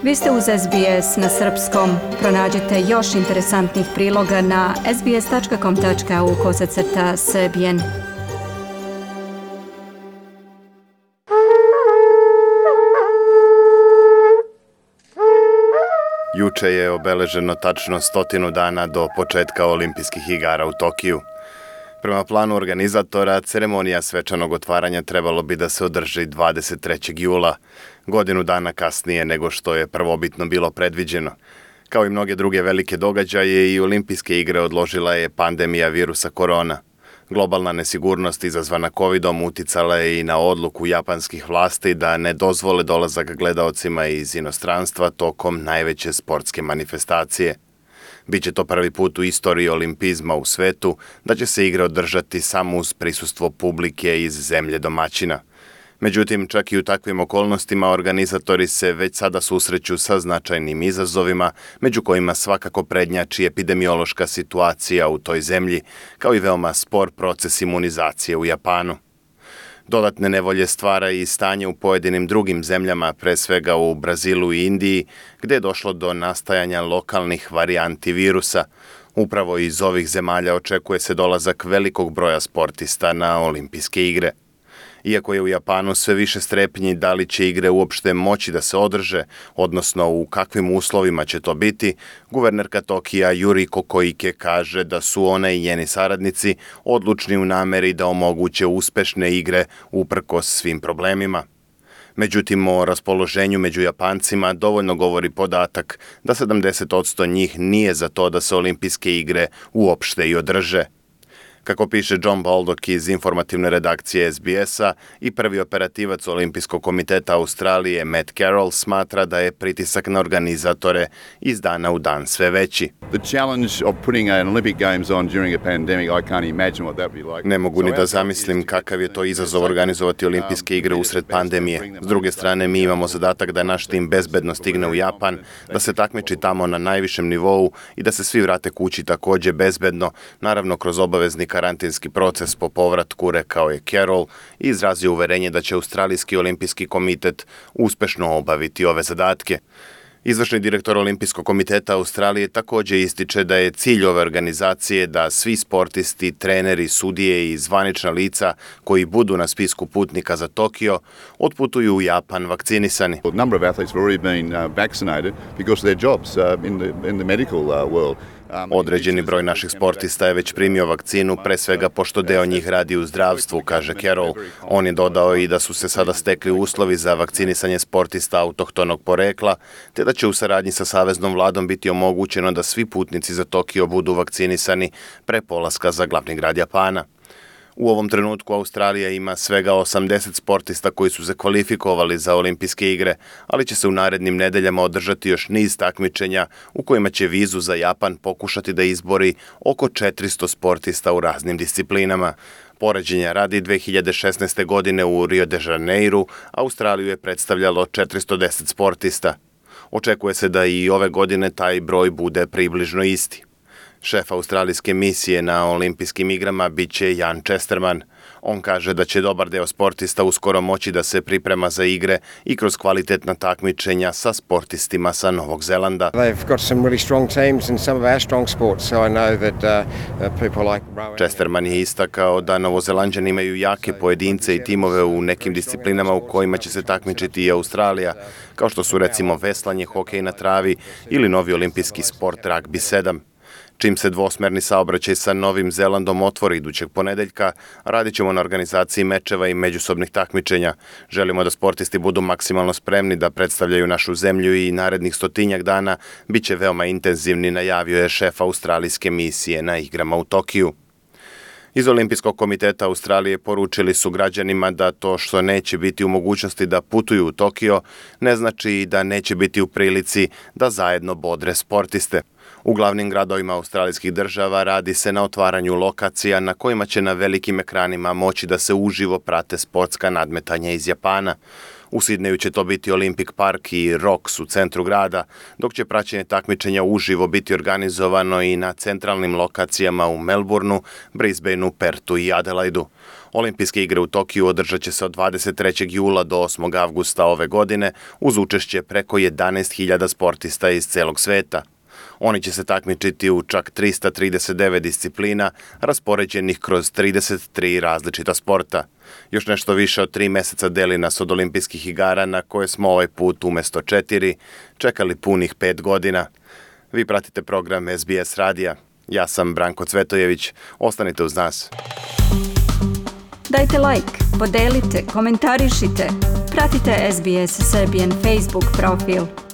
Vi ste uz SBS na srpskom. Pronađite još interesantnih priloga na sbs.com.au/srbijen. Juče je obeleženo tačno 100 dana do početka olimpijskih igara u Tokiju. Prema planu organizatora, ceremonija svečanog otvaranja trebalo bi da se održi 23. jula, godinu dana kasnije nego što je prvobitno bilo predviđeno. Kao i mnoge druge velike događaje, i olimpijske igre odložila je pandemija virusa korona. Globalna nesigurnost izazvana covidom uticala je i na odluku japanskih vlasti da ne dozvole dolazak gledaocima iz inostranstva tokom najveće sportske manifestacije. Biće to prvi put u istoriji olimpizma u svetu da će se igre održati samo uz prisustvo publike iz zemlje domaćina. Međutim, čak i u takvim okolnostima organizatori se već sada susreću sa značajnim izazovima, među kojima svakako prednjači epidemiološka situacija u toj zemlji, kao i veoma spor proces imunizacije u Japanu. Dodatne nevolje stvara i stanje u pojedinim drugim zemljama, pre svega u Brazilu i Indiji, gde je došlo do nastajanja lokalnih varijanti virusa. Upravo iz ovih zemalja očekuje se dolazak velikog broja sportista na olimpijske igre. Iako je u Japanu sve više strepnji da li će igre uopšte moći da se održe, odnosno u kakvim uslovima će to biti, guvernerka Tokija Yuriko Koike kaže da su ona i njeni saradnici odlučni u nameri da omoguće uspešne igre uprkos svim problemima. Međutim, o raspoloženju među Japancima dovoljno govori podatak da 70% njih nije za to da se olimpijske igre uopšte i održe. Kako piše John Baldock iz informativne redakcije SBS-a, i prvi operativac Olimpijskog komiteta Australije Matt Carroll smatra da je pritisak na organizatore iz dana u dan sve veći. Ne mogu ni da zamislim kakav je to izazov organizovati olimpijske igre usred pandemije. S druge strane, mi imamo zadatak da naš tim bezbedno stigne u Japan, da se takmiči tamo na najvišem nivou i da se svi vrate kući takođe bezbedno, naravno kroz obavezni karantinski proces po povratku, rekao je Carroll i izrazio uverenje da će Australijski olimpijski komitet uspešno obaviti ove zadatke. Izvršni direktor Olimpijskog komiteta Australije takođe ističe da je cilj ove organizacije da svi sportisti, treneri, sudije i zvanična lica koji budu na spisku putnika za Tokio otputuju u Japan vakcinisani. Određeni broj naših sportista je već primio vakcinu, pre svega pošto deo njih radi u zdravstvu, kaže Carroll. On je dodao i da su se sada stekli uslovi za vakcinisanje sportista autohtonog porekla, te da će u saradnji sa saveznom vladom biti omogućeno da svi putnici za Tokio budu vakcinisani pre polaska za glavni grad Japana. U ovom trenutku Australija ima svega 80 sportista koji su se kvalifikovali za olimpijske igre, ali će se u narednim nedeljama održati još niz takmičenja u kojima će vizu za Japan pokušati da izbori oko 400 sportista u raznim disciplinama. Poređenja radi 2016. godine u Rio de Janeiru Australiju je predstavljalo 410 sportista. Očekuje se da i ove godine taj broj bude približno isti. Šef australijske misije na olimpijskim igrama biće Jan Chesterman. On kaže da će dobar deo sportista uskoro moći da se priprema za igre i kroz kvalitetna takmičenja sa sportistima sa Novog Zelanda. Chesterman je istakao da Novozelanđani imaju jake pojedince i timove u nekim disciplinama u kojima će se takmičiti i Australija, kao što su recimo veslanje, hokej na travi ili novi olimpijski sport ragbi 7. Čim se dvosmerni saobraćaj sa Novim Zelandom otvori idućeg ponedeljka, radit ćemo na organizaciji mečeva i međusobnih takmičenja. Želimo da sportisti budu maksimalno spremni da predstavljaju našu zemlju i narednih 100 dana bit će veoma intenzivni, najavio je šef australijske misije na igrama u Tokiju. Iz Olimpijskog komiteta Australije poručili su građanima da to što neće biti u mogućnosti da putuju u Tokio ne znači i da neće biti u prilici da zajedno bodre sportiste. U glavnim gradovima australijskih država radi se na otvaranju lokacija na kojima će na velikim ekranima moći da se uživo prate sportska nadmetanja iz Japana. U Sidneju će to biti Olympic Park i Rocks u centru grada, dok će praćenje takmičenja uživo biti organizovano i na centralnim lokacijama u Melbourneu, Brisbaneu, Pertu i Adelaidu. Olimpijske igre u Tokiju održat će se od 23. jula do 8. avgusta ove godine uz učešće preko 11.000 sportista iz celog sveta. Oni će se takmičiti u čak 339 disciplina, raspoređenih kroz 33 različita sporta. Još nešto više od 3 meseca deli nas od olimpijskih igara na koje smo ovaj put umesto 4 čekali punih 5 godina. Vi pratite program SBS radija. Ja sam Branko Cvetojević. Ostanite uz nas. Dajte like, podelite, komentarišite. Pratite SBS Serbian Facebook profil.